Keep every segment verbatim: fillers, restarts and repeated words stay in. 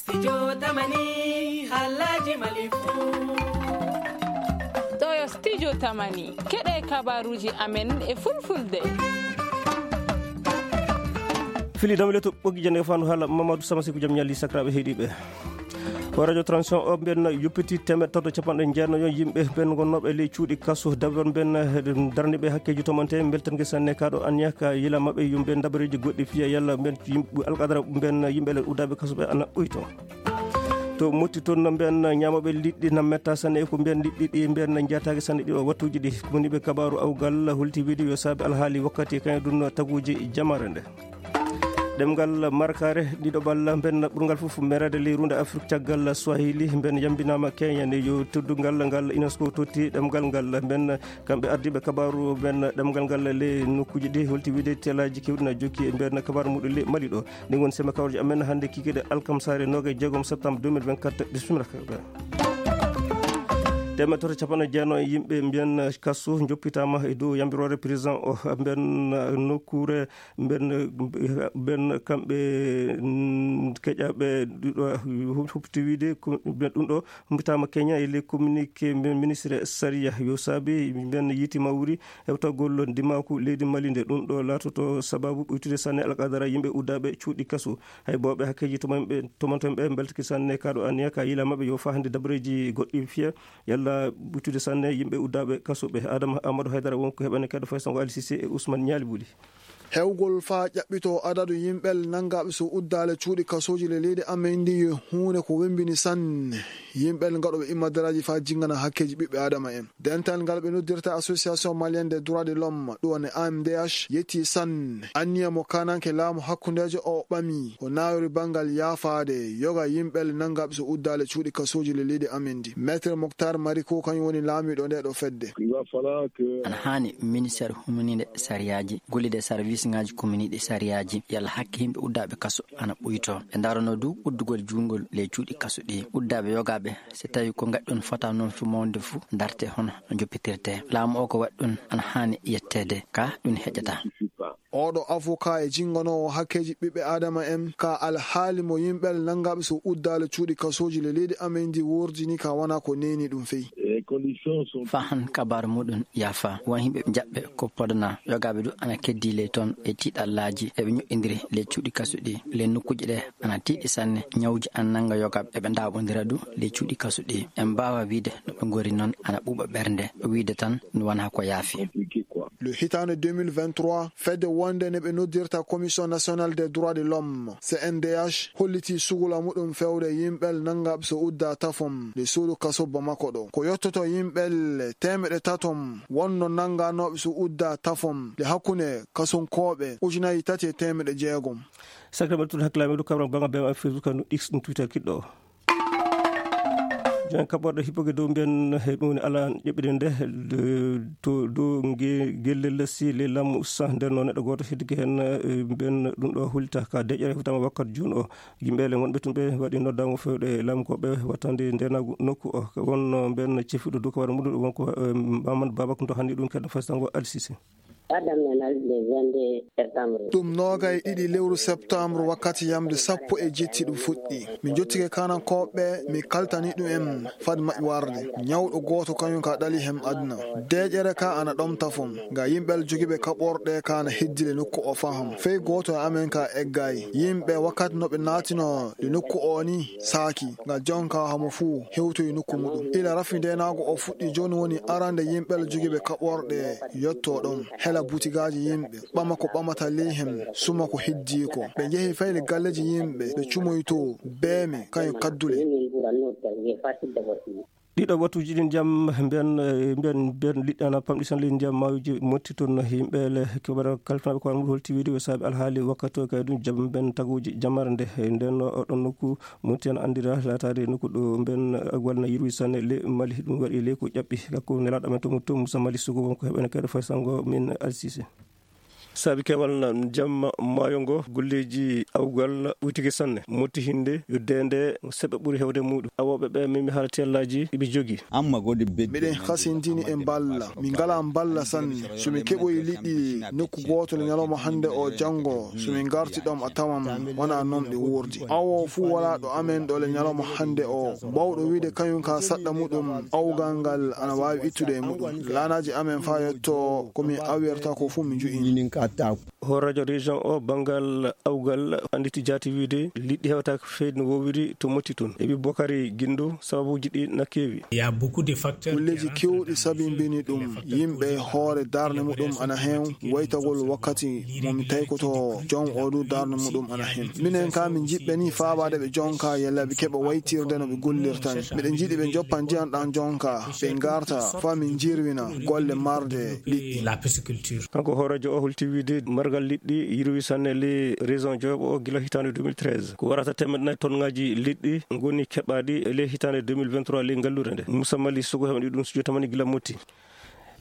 Studio Tamani, halaji Mali fu. Ɗo yo Studio Tamani, keɗe kabaruji amen e fulfulde. Fili dawle to ɓoggi jannde fandu haala Mamadou Samasiku, jam ñalli sakiraaɓe heɗiiɓe. Ko radio transition o mbiyen yuppiti teemeɗɗe tato capanɗe jeenayo yimɓe ɓen gonnooɓe ley cuuɗi kaso, dabar mbiyen darniiɓe hakkeeji tomante, mbeltangel sanne kaɗo anniya ka yila maɓɓe yumɓe dabareeji goɗɗi fiya yalla mbiyen yimɓe alqadara mbiyen yimɓe le uddaaɓe kaso ɓe ana ɓuyto. To Motti toon no mbiyen ñaamooɓe liɗɗi na metta sanne e ko mbiyen liɗɗi ɗi mbiyen na njaataaki sanne ɗi o wattuuji ɗi. Ko woni ɓe kabaaru awgal holti wiide yo saabe alhaali wakkati kañum ɗum taguuji jamare nde. Ɗemngal markaare ɗiɗo balla mbiyen ɓurngal fof mereede ley ruunde Afrik caggal Swahili mbiyen yambinaama Kenya nde yo teddungal ngal UNESCO totti ɗemngal ngal mbiyen kamɓe ardiiɓe kabaaru mbiyen ɗemngal ngal ley nokkuuji ɗi holti wiide telaaji keewɗi na jokki e mbiyen kabaaru muɗum ley Mali ɗo. Ɗin woni sema kawreji amen hannde kikiɗe alkamsaare noogay jeegom septembre deux mille vingt-quatre. Bismillah. Teemeɗɗe tato capanɗe jeenayo e yimɓe mbiyen kaso joppitaama e dow yambiroore président o mbiyen nokkuure mbiyen mbiyen kamɓe mm, keƴaɓe ɗiɗo huɓti wiide ko mbiyen ɗum ɗo humpitaama Kenya e ley communiqué mbiyen ministre sariya yo saabi mbiyen yiiti mawri hewtagol ndimaaku leydi Mali nde ɗum ɗo laatoto sababu ɓuytude sanne alqadara yimɓe uddaaɓe cuuɗi kaso. Hay booɓe hakkeeji tomanɓe tomanton ɓe mbeltaki sanne kaɗo anniya ka yila maɓɓe yo fahande dabareeji goɗɗi fiya yalla ɓuytude sanne yimɓe uddaaɓe kaso ɓe. Adama Amadou Haydara won ko heɓani kadi faysango Ali Cissé e Ousmane Ñaali Buli. Hewgol faa ƴaɓɓitoo adadu yimɓel nanngaaɓe so uddaale cuuɗi kasooji le leydi amen ndi yo huunde ko wemmbini sanne. Yimɓel ngaɗooɓe immadaraaji faa jinngana hakkeeji ɓiɓɓe Aadama en. Dental ngal ɓe noddirta Association Malienne des Droits de l'Homme, ɗum woni A M D H, yettii sanne anniya mo kaananke laamu hakkundeejo o ɓami, o naawiri banngal yaafaade yoga yimɓel nanngaaɓe so uddaale cuuɗi kasooji le leydi amen ndi. Maître Moctar Mariko kañum woni laamiiɗo ndee ɗo fedde. Ana haani ministeer huminiinde sariyaaji, gollide sarwisŋaaji kominiiɗi sariyaaji, yalla hakke yimɓe uddaaɓe kaso ana ɓuytoo. Ɓe ndaarano du uddugol juutngol ley cuuɗi kaso ɗi. Uddaaɓe yogaaɓe, so tawii ko ngaɗɗon fota noon fii mawnde fu, ndarte hono no joppitirtee. Laamu o ko waɗi ɗum ana haani yetteede, ka ɗum heƴataa. Oɗo avocat e jinnganoowo hakkeeji ɓiɓɓe Aadama en ka alhaali mo yimɓel nanngaaɓe so uddaale cuuɗi kasooji le leydi amen ndi woordini ka wonaa ko neeni ɗum fey. Faa han kabaaru muɗum yaafa. Won yimɓe jaɓɓe ko podana. Yogaaɓe du ana keddii ley toon e tiiɗallaaji. Eɓe ñoƴƴindiri ley cuuɗi kaso ɗi. Ley nokkuuji ɗe ana tiiɗi sanne. Ñawuuji ana nannga yogaaɓe. Eɓe ndaaɓondira du ley cuuɗi kaso ɗi. En mbaawaa wiide no ɓe ngori noon ana ɓuuɓa ɓernde. Wiide tan no wonaa ko yaafi. Le hitaande deux mille vingt-trois, fedde wonde nde ɓe noddirta Commission Nationale des Droits de l'Homme, C N D H, hollitii sugula muɗum fewde yimɓel nanngaaɓe so uddaa tafom le suudu kaso Bamako ɗo. Ko yottoto yimɓel teemeɗɗe tatom wonno nannganooɓe so uddaa tafom le hakkunde kasunkooɓe ujunaaji tati e teemeɗɗe jeegom. Sakre mbaɗa tun hakkilaaɓe ɗo kabran banga bema Facebook no X ɗum Twitter kiɗɗo o. Jon kaɓɓorɗe hippoke dow mbiyen he ɗum woni ala ƴeɓɓiɗen nde to dow gelle lessi le lamu sa nder no neɗɗo gooto heddike heen mbiyen ɗum ɗo hulta ka deƴƴere hutama wakkat jooni o. Yimɓe le wonɓe tun ɓe waɗi noddango fewɗe lamu ko ɓe wattande ndenagu nokku o wonno mbiyen cefiɗo dow kawara muɗum wonko Mamadou Babak to hanni ɗum keɗɗo fastango Alsisi. Ɗum noogay ɗiɗi lewru septembre wakkati yamde sappo e jetti ɗum fuɗɗi. Mi jottike kanankooɓe mi kaltani ɗum en fad maɓɓe warde. Ñawɗo gooto kañum ka ɗali hem aduna. Deeƴere ka ana ɗom tafon. Nga yimɓel jogiiɓe kaɓorɗe ka ana heddile nokku o faham. Fey gooto e amen ka eggay. Yimɓe wakkati no ɓe naatino le nokku o ni saaki. Nga jonka hamo fuu hewtoyi nokku muɗum. Ila rafi ndenaago o fuɗɗi jooni woni arande yimɓel jogiiɓe kaɓorɗe yotto ɗon. Hela butigaaji yimɓe. Ɓama ko ɓamata ley hem, suma ko heddii ko. Ɓe njehi fayde galleeji yimɓe, ɓe cumoytoo, beeme, kañum kaddule. Ɗiɗo wattuuji ɗin jam, mbiyan, mbiyan, mbiyan liɗɗi ana pamɗi tan ley ndiyam maawiji motti toon. Yimɓe le kibara kalfinaɓe ko an holti wiide o saabi alhaali wakkati o kay ɗum jam mbiyan taguuji jamare nde. Nden o ɗon nokku motti ana anndira laataade nokku ɗo mbiyan agwal na yirwi sanne le Mali ɗum waɗi le ko ƴaɓɓi. Kanko nelaaɗo amen to Moussa Mali Sougou wonko heɓene kayɗo fay sango min Alsise. Saabi keewal na jamma maayo ngo, golleeji awgal ɓuytike sanne. Motti hinde yo deende seɓɓe ɓuri heewde muuɗum. Awooɓe ɓe memi haala teellaaji ɓe jogi. Amma godi bedde. Miɗen hasintini e mballa. Min ngala mballa sanne. So min keɓoyi liɗɗi nokku gooto le ñalawma hannde o, janngo, so min ngarti ɗoon a tawan wona noon ɗi wuurdi. Awo fuu wala ɗo amen ɗo le ñalawma hannde o. Bawɗo wiide kañum ka saɗɗa muɗum, awgal ngal ana waawi ittude e muɗum. Laanaaji amen faa yetto ko min awirta ko fuu min nju'ini. Hooreejo région o banngal awgal annditi jaati wiide liɗɗi hewtaaka feyde no woowiri to Motti toon. E wi Bokari Gindo, sababuuji ɗi na keewi. Il y a beaucoup de facteurs. Golleeji keewɗi sabimbini ɗum. Yimɓe hoore darnde muɗum ana heen, waytagol wakkati mo mi taykoto joom o du darnde muɗum ana heen. Minen ka min njiɗɓe ni faabaade ɓe jonka yalla ɓe keɓa waytirde no ɓe gollirta ni. Miɗen njiɗi ɓe njoppa ndiyan ɗan jonka, ɓe ngarta faa min njirwina golle marde liɗɗi. La pisciculture. Kanko hooreejo o holti wiide margal liɗɗi yirwi sanne ley région Diobe o gila hitaande deux mille treize. Ko warata teemeɗɗe nayi tonŋaaji liɗɗi ngoni keɓaaɗi e ley hitaande deux mille vingt-trois ley ngalluure nde. Moussa Mali Sougou heɓani ɗum studio tamani gila Motti.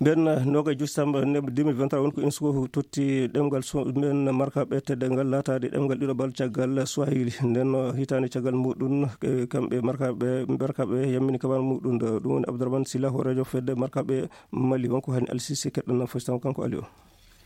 Ɓen noogaye joy samba ne deux mille vingt-trois woni ko UNESCO totti ɗemngal so-, men markaaɓe teddeengal laataade ɗemngal ɗiɗaɓal caggal Swahili. Nden no hitaande caggal muɗum, e kamɓe markaaɓe, markaaɓe yammini kabaaru muɗum. Ɗum woni Abdourahmane Sylla, hooreejo fedde markaaɓe Mali, wonko hani Al Sisi keɗɗon fasitan kanko Ali o.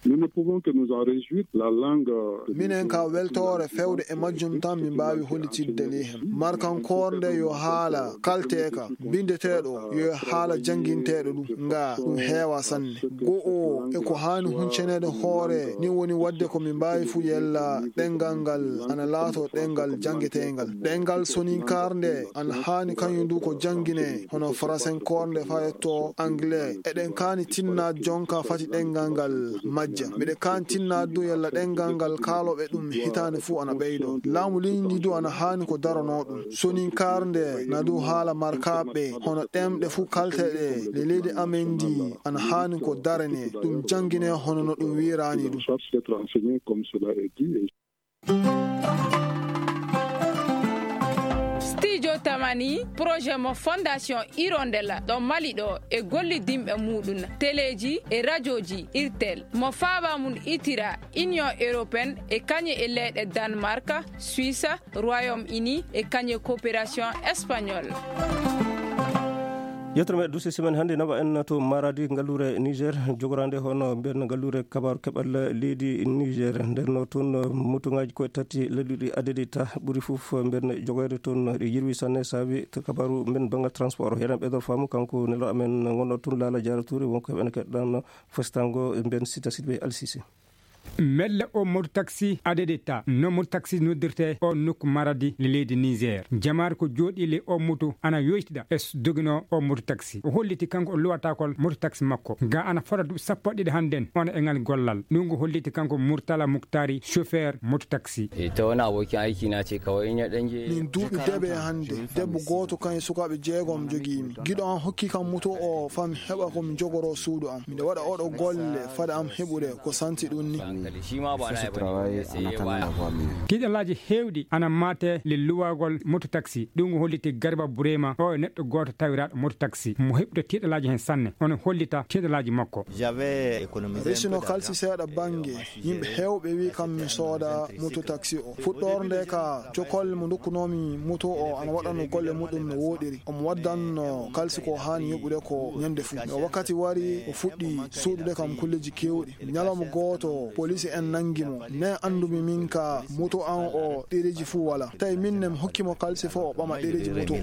Nous ne pouvons que nous en réjouir. La langue, euh, minen ka weltoore fewde e majjum tan min mbaawi hollitinde ni hen. Markankoore nde yo haala kalteeka, binndeteeɗo, yo haala jannginteeɗo ɗum, nga ɗum heewa sanne. Go'o e ko haani huncaneede hoore, ni woni waɗde ko min mbaawi fuu yella ɗemngal ngal ana laato ɗemngal janngeteengal. Ɗemngal soninkaare nde ana haani kañum du ko janngine, hono faransenkoore nde faa yetto anglais. Eɗen kaani tinnaade jonka fati ɗemngal ngal majja. Miɗen kaani tinnaade du yalla ɗemngal ngal kaalooɓe ɗum hitaande fuu ana ɓeydo. Laamu leydi ndi du ana haani ko daranoo ɗum. Soninkaare nde na du haala markaaɓe, hono ɗemɗe fuu kalteɗe le leydi amen ndi ana haani ko darane, ɗum janngine hono no ɗum wiiraani ɗum. Studio Tamani, projet mo Fondation Hirondelle ɗo Mali ɗo e gollidinɓe muɗum, teleeji e rajooji Irtel, mo faaba mum itira Union Européenne e kañe e leyɗe Danemark, Suisse, Royaume-Uni e kañe coopération espagnole. Yettere men duusi semaine hannde nawa en to Maradi, ngalluure Niger, jogoraande hono mbiyen ngalluure kabaaru keɓal leydi Niger. Nden no toon motuŋaaji koye tati ladduɗi adadi ta ɓuri fof mbiyen jogoyde toon ɗi yirwi sanne saabi to kabaaru mbiyen banngal transport. Yeɗen ɓeydo faamu kanko nelɗo amen ngonɗo toon Laala Jaara Tuuri, wonko heɓen keɗɗan fasitango mbiyen Sita Sidibé Alsisi. Melle o moto taxi adedeta no moto taxi noddirte o nokku Maradi le leydi Niger. Jamaare ko jooɗi le o moto ana yoytida e s-, doginoo o moto taxi. O holliti kanko o luwatakol moto taxi makko. Ga ana fota duuɓi sappo e ɗiɗi hannden ona e ngal gollal. Ɗum ko holliti kanko Murtala Muktari, chauffeur moto taxi. Ita wani abokin aiki na ce kawai in ya ɗan je. Min duuɓi debe hannde. Debbo gooto kan e sukaaɓe jeegom jogii mi. Giɗo an hokki kam moto o fami heɓa ko mi jogoroo suudu am. Miɗo waɗa oɗo golle fada am heɓude ko santi ɗum ni. Tiiɗalaaji heewɗi ana maate le luwagol moto taxi. Ɗum holliti Garba Burema, o e neɗɗo gooto tawiraaɗo moto taxi mo heɓude tiiɗalaaji heen sanne. Ono hollita tiiɗalaaji makko. Resino kalsi seeɗa bannge. Yimɓe heewɓe wi kam mi sooda moto taxi o. Fuɗɗoorde nde ka cokolle mo ndokkunoomi moto o ana waɗano golle muɗum no wooɗiri. Omo waddanno kalsi ko haani yoɓude ko ñande fuu. No wakkati wari o fuɗɗi suuɗude kam kulleji keewɗi. Ñalawma gooto poliisi en nanngi mo. Ne anndumi min ka moto an o ɗereeji fuu wala. Tawi min ne mi hokki mo kalsi fof o ɓama ɗereeji moto.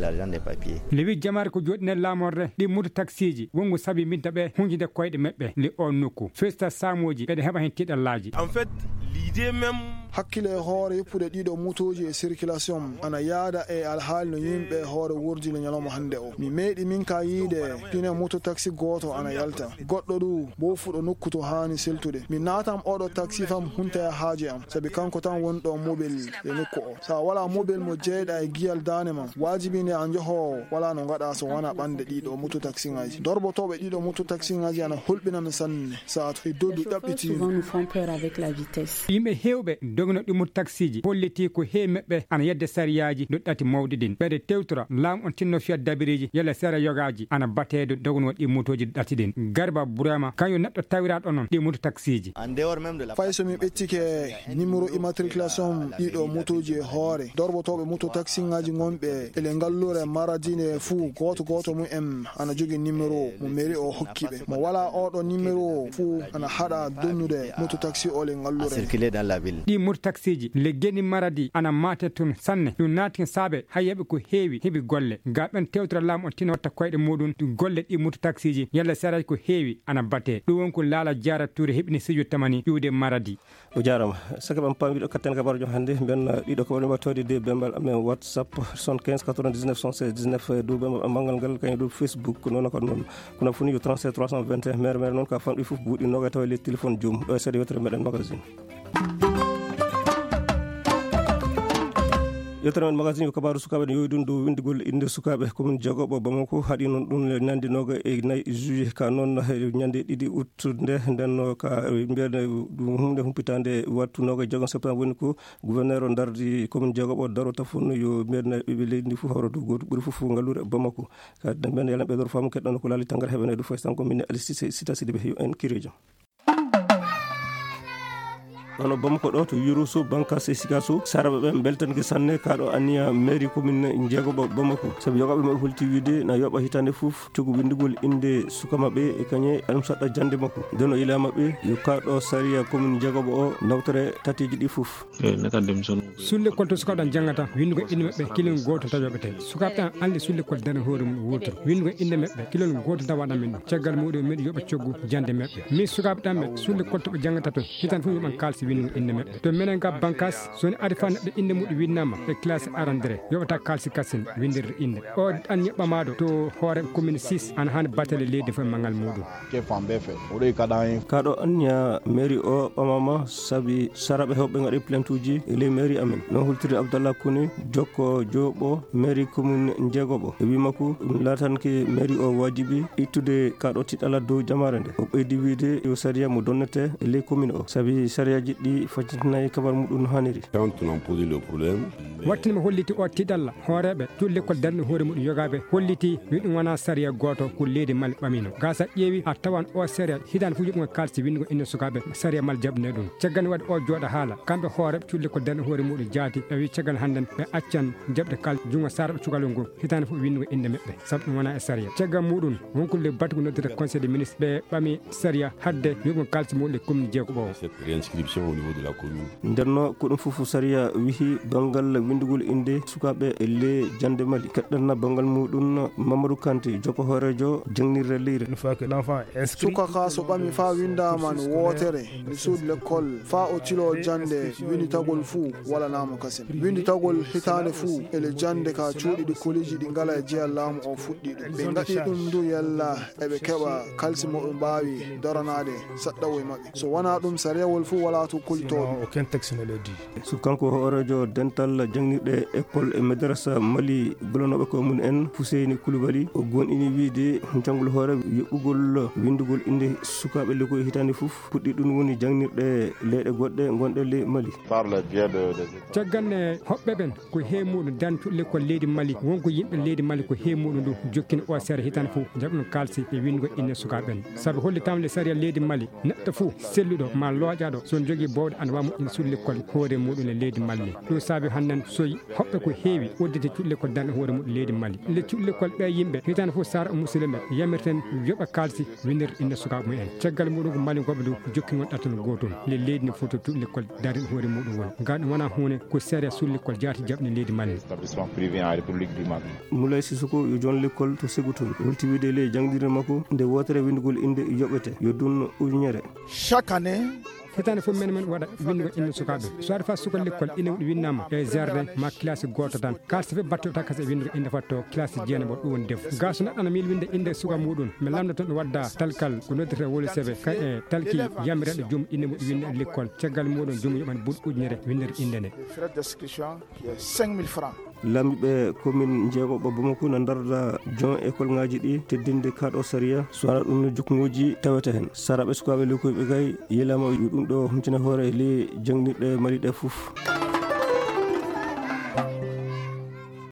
Lewi jamaare ko jooɗi nder laamorde ɗi moto taksiiji wonngo sabi mbinta ɓe hunjinde koyɗe maɓɓe le o nokku. Festa saamooji ɓeɗe heɓa heen tiiɗallaaji. En fait, l'idée même. Hakkile e hoore yoppude ɗiɗo motooji e circulation ana yaada e alhaali no yimɓe hoore wurdi no ñalawma hannde o. Mi meeɗi min ka yiide pine moto taxi gooto ana yalta. Goɗɗo du bo fuɗo nokku to haani seltude. Mi naatam oɗo taxi fam hunta e haaje am. Sabi kanko tan woni ɗo mobel e nokku o. Sa wala mobel mo jeyɗa e giyal daane ma, waajibi nde a njoho wala no ngaɗa so wona ɓande ɗiɗo moto taxi ngaji. Dorbotoɓe ɗiɗo moto taxi ngaji ana hulɓina mi sanne. Sa to e dodu ɗaɓɓiti. Souvent nous font peur avec la vitesse. Yimɓe heewɓe dognooɗo ɗi moto taksiiji hollitii ko heewi maɓɓe ana yedde sariyaaji ɗo ɗati mawɗi ɗin. Ɓeyde tewtora laamu on tinno fiyat dabiriiji yalla sera yogaaji ana batee ɗo dognooɗo ɗi motooji ɗo ɗati ɗin. Garba Burama kañum neɗɗo tawiraaɗo non ɗi moto taksiiji. Fay so mi ɓettike numéro immatriculation ɗiɗo motooji e hoore, dorbotooɓe moto taksiŋaaji gonɓe ele ngallure Maradi nde fuu, gooto gooto mum en ana jogii numéro mo mairie o hokki ɓe. Mo walaa oɗo numéro fuu ana haɗa donnude moto taxi ole ngallure. Ɗi moto taksiiji le geni Maradi ana maate tun sanne. Ɗum naati saabe hayyaɓe ko heewi heɓi golle. Ga ɓen tewtira laamu on tino watta koyɗe muɗum golle ɗi moto taksiiji yalla saraji ko heewi ana bate. Ɗum won ko laala jaara tuure heɓini sijo tamani ƴuwde Maradi. O jaaraama. Saka ɓen paami ɗo katten kabarujo hannde, mbiyen, uh, ɗiɗo kabarujo mbaɗa tawde de bembal amen WhatsApp, soixante-quinze quatre-vingt-dix-neuf soixante-seize dix-neuf, uh, dow bembal am banngal ngal, kañum dow Facebook, noon ko noon. Kono fuu ni yo trente-sept trois cent vingt et un, mere, mere noon ka fanɗi fof buuɗi noga tawa le téléphone joom. Ɗo e seeɗa yewtere meɗen magazine. Yewtere men magazine ko kabaaru sukaaɓe ne yowi ɗum dow winndugol innde sukaaɓe commune jeegoɓo Bamako. Haɗi noon ɗum le ñande noga e nayi juillet ka noon e ñande ɗiɗi août nde. Nden no ka mbiyen ɗum huunde humpitaande wattu noga e jeegom septembre woni ko gouverneur o dardi commune jeegoɓo daro tafon yo mbiyen ɓiɓɓe leydi ndi fof hawra dow gooto ɓuri fof fof ngallure Bamako. Ka mbiyen yalla ɓe dor faamu keɗɗon ko laali tangara heɓene ɗum fof tan ko min Alice Sita Sidibé yo en kirejo. Ono Bamako ɗo to Yurusu, Bankas e Sikasu, saraɓe ɓen beltanke sanne kaɗo anniya mairie commune jeegoɓo Bamako. Sabu yogaɓe maɓɓe holti wiide na yoɓa hitande fof tugu windugol inde suka maɓɓe e kañe alum saɗɗa jande makko. Nden o ila maɓɓe yo kaɗo sariya commune jeegoɓo o nawtore tateji ɗi fof. Sulle kol to sukaaɓe ɗan janngata, winndugo innde maɓɓe, kilin gooto tan yoɓete. Sukaaɓe ɗan anndi sulle kol darani hoore mum wurto. Winndugo innde maɓɓe, kilin gooto tan waɗan min ɗum. Caggal muɗum, miɗo yoɓa coggu jannde maɓɓe. Min sukaaɓe ɗan ɓe, sulle kol to ɓe janngata to, hitan fof yoɓan kaalisi winndugo innde maɓɓe. To menen ga Bankas, so ni ari fa neɗɗo innde muɗum winnama e classe arandere, yoɓata kaalisi kasin winndirde innde. O ɗan yoɓɓamaɗo to hoore commune six, ana haani batale leydi fof e manngal muɗum. Kaɗo anniya mairie o ɓamama sabi saraɓe hewɓe ngaɗi plainte uji e ley mairie amen. Non hultirde Abdallah Kone, jokko joɓo mairie commune jeegoɓo. E wi makko, ɗum laatanke mairie o wajibi ittude kaɗo tiɗala dow jamaare nde. O ɓeydi wiide yo sariya mo donnete e ley commune o, sabi sariyaji ɗi faccitinayi kabar muɗum no haniri. Quand on a posé le problème, Wattinima holliti o tiɗalla. Hooreeɓe cuuɗi lekkol darni hoore muɗum yogaaɓe holliti yo ɗum wona sariya gooto ko leydi Mali ɓamino. Gasa ƴeewi a tawan o sariya hitaande fof yoɓugol kaalisi winndugo innde sukaaɓe sariya Mali jaɓne ɗum. Caggal nde waɗi o jooɗa haala, kamɓe hooreeɓe cuuɗi lekkol darni hoore muɗum jaati ɓe wi caggal hannden ɓe accan jaɓde kal junngo saraɓe cukalel ngol hitaande fof winndugo innde maɓɓe sabu ɗum wona e sariya. Caggal muɗum wonkude batugo noddita conseil des ministres ɓe ɓami sariya hadde yoɓugol kaalisi muɗum e commune jeegoɓo o. Cette réinscription au niveau de la commune. Ndenno ko ɗum fof sariya wihi banngal winndugol innde sukaaɓe e le jannde Mali. Keɗɗanna banngal muɗum Mamadou Kanté, jokko hooreejo jangnirde leyre. Une fois que l'enfant est inscrit, suka ka so ɓami faa winndaama no wootere, mi suudu lekkol faa o tiloo jannde winnditagol fuu walanaa mo kasen. Winnditagol hitaande fuu e le jannde ka cuuɗi ɗi koliji ɗi ngala e jeya laamu o fuɗɗi ɗum. Ɓe ngaɗi ɗum ndu yalla eɓe keɓa kalsi mo ɓe mbaawi daranaade saɗɗawo e maɓɓe. So wonaa ɗum, sariyawol fuu walaa to kolitooɓe. Sinon, aucun texte ne le dit. So kanko hooreejo dental janngirɗe école e madrasa Mali, gollanooɓe ko mum en Fuseyni Kulubali, o gonɗini wiide janngol hoore yoɓɓugol winndugol innde sukaaɓe lekkoy hitaande fof puɗɗi ɗum woni janngirɗe leyɗe goɗɗe gonɗe ley Mali. Par le biais de, de... Caggal nde hoɓɓe ɓen ko heewi muɗum dan cuuɗi lekkol leydi Mali, wonko yimɓe leydi Mali ko heewi muɗum ndu jokkini o sariya hitaande fof jaɓɗum kaalisi e winndugol innde sukaaɓe ɓen. Sabu hollitaama le sariya leydi Mali, neɗɗo fof selluɗo ma looƴaaɗo so jogii bowɗe ana waawi moƴƴinde suudu lekkol hoore muɗum e leydi Mali. Ɗum saabi hannden so hoɓɓe ko heewi udditi cuuɗi lekkol darni hoore muɗum leydi Mali. Le cuuɗi lekkol ɓe yimɓe hitaande fof sara musidɓe yamirten yoɓa kaalisi winndirde innde sukaaɓe mum en. Caggal muɗum ko Mali goɓe dow jokkingol ɗatal gootol. Le leydi ne foto cuuɗi lekkol darni hoore muɗum woni. Ngal ɗum wona huunde ko sariya suudu lekkol jaati jaɓni leydi Mali. Établissement privé en République du Mali. Moulay Sissoko yo joon lekkol to Ségou Touré. Holti wiide le janngirde makko nde wootere winndugol innde yoɓete yo dun ujunere. Chaque année, hitaande fof menen men waɗa winndugo innde sukaaɓe. So aɗa faa suka lekkol innde muɗum winnama e jardin ma classe gooto tan. Kaalisi fof batte o takkas e winndugo innde fatto classe jeenaɓo ɗum woni defu. Ga so neɗɗo ana miili winnde innde suka muɗum, mi lamndoto ɗum wadda talkal ko noddetee woli sebe ka e talki yamireɗo joom innde muɗum winnde e lekkol. Caggal muɗum joom yoɓan buuɗi ujunere winndirde innde nde. Frais d'inscription qui est cinq mille francs. Laamiiɓe komin jeegoɓe Bamako na ndarda jon école ngaji ɗi teddinde kaɗo sariya, so wona ɗum no juknguji tawete hen. Sara ɓe sukaaɓe lekkoyɓe kay, yilama yo ɗum ɗo humtina hoore le jangnirɗe Mali ɗe fof.